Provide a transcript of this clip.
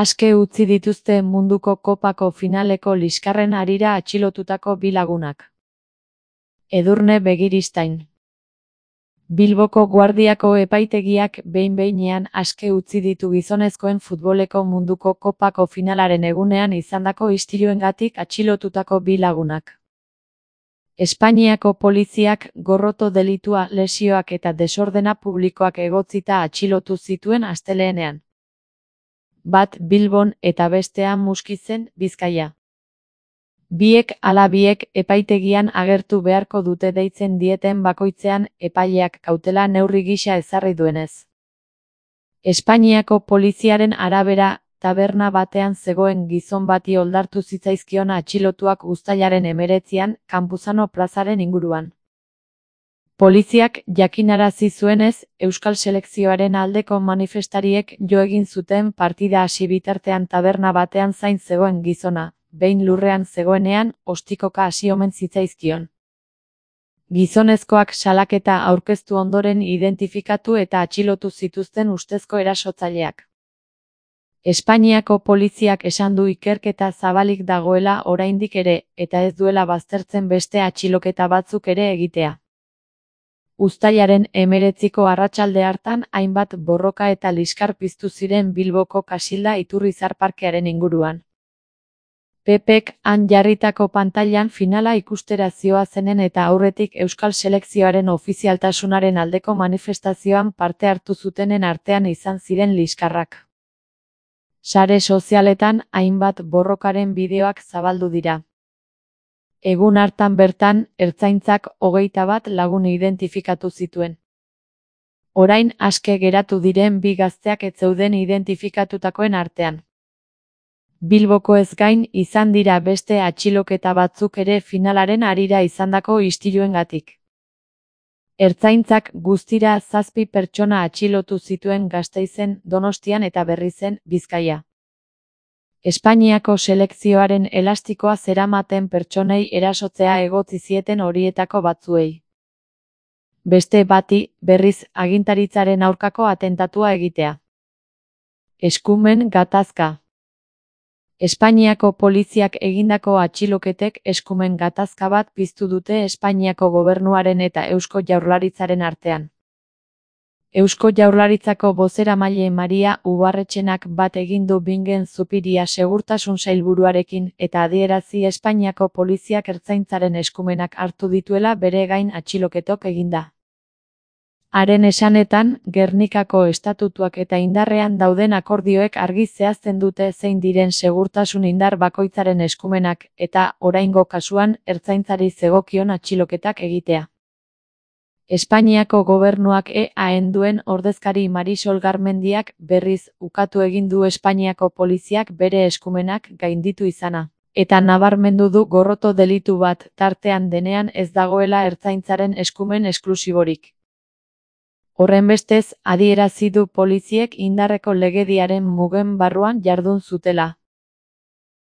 Aske utzi dituzte munduko kopako finaleko liskarren harira atxilotutako bi lagunak. Edurne Begiristain. Bilboko Guardiako epaitegiak behin-behinean aske utzi ditu gizonezkoen futboleko munduko kopako finalaren egunean izandako istiluengatik atxilotutako bi lagunak. Espainiako poliziak gorroto delitua, lesioak eta desordena publikoak egotzita atxilotu zituen astelehenean. Bat Bilbon eta bestea Muskizen, Bizkaia. Biek ala biek epaitegian agertu beharko dute deitzen dieten bakoitzean epaileak kautela neurri gisa ezarri duenez. Espainiako poliziaren arabera, taberna batean zegoen gizon bati oldartu zitzaizkion atxilotuak uztailaren 19an Campuzano plazaren inguruan. Poliziak jakinarazi zuenez, euskal selekzioaren aldeko manifestariek jo egin zuten partida hasi bitartean taberna batean zain zegoen gizona, behin lurrean zegoenean, ostikoka hasi omen zitzaizkion. Gizonezkoak salaketa aurkeztu ondoren identifikatu eta atxilotu zituzten ustezko erasotzaileak. Espainiako poliziak esan du ikerketa zabalik dagoela oraindik ere, eta ez duela baztertzen beste atxiloketa batzuk ere egitea. Uztailaren 19ko arratsalde hartan hainbat borroka eta liskar piztu ziren Bilboko Kasilda Iturrizar parkearen inguruan. Pepek han jarritako pantailan finala ikustera zihoazenen eta aurretik euskal selekzioaren ofizialtasunaren aldeko manifestazioan parte hartu zutenen artean izan ziren liskarrak. Sare sozialetan hainbat borrokaren bideoak zabaldu dira. Egun hartan bertan, ertzaintzak 21 lagun identifikatu zituen. Orain aske geratu diren bi gazteak ez zeuden identifikatutakoen artean. Bilboko ez gain izan dira beste atxiloketa batzuk ere finalaren harira izandako istiluengatik. Ertzaintzak guztira 7 pertsona atxilotu zituen Gasteizen, Donostian eta Berrizen, Bizkaia. Espainiako selekzioaren elastikoa zeramaten pertsonei erasotzea egotzi zieten horietako batzuei. Beste bati, berriz, agintaritzaren aurkako atentatua egitea. Eskumen gatazka. Espainiako poliziak egindako atxiloketek eskumen gatazka bat piztu dute Espainiako gobernuaren eta Eusko Jaurlaritzaren artean. Eusko Jaurlaritzako bozeramaile Maria Ubarretxenak bat egin du Bingen Zupiria segurtasun sailburuarekin eta adierazi Espainiako poliziak ertzaintzaren eskumenak hartu dituela bere gain atxiloketok eginda. Haren esanetan, Gernikako estatutuak eta indarrean dauden akordioek argi zehazten dute zein diren segurtasun indar bakoitzaren eskumenak eta, oraingo kasuan, ertzaintzari zegokion atxiloketak egitea. Espainiako gobernuak EAen duen ordezkari Marisol Garmendiak berriz ukatu egin du Espainiako poliziak bere eskumenak gainditu izana. Eta nabarmendu du gorroto delitu bat tartean denean ez dagoela ertzaintzaren eskumen esklusiborik. Horrenbestez, adierazi du poliziek indarreko legediaren mugen barruan jardun zutela.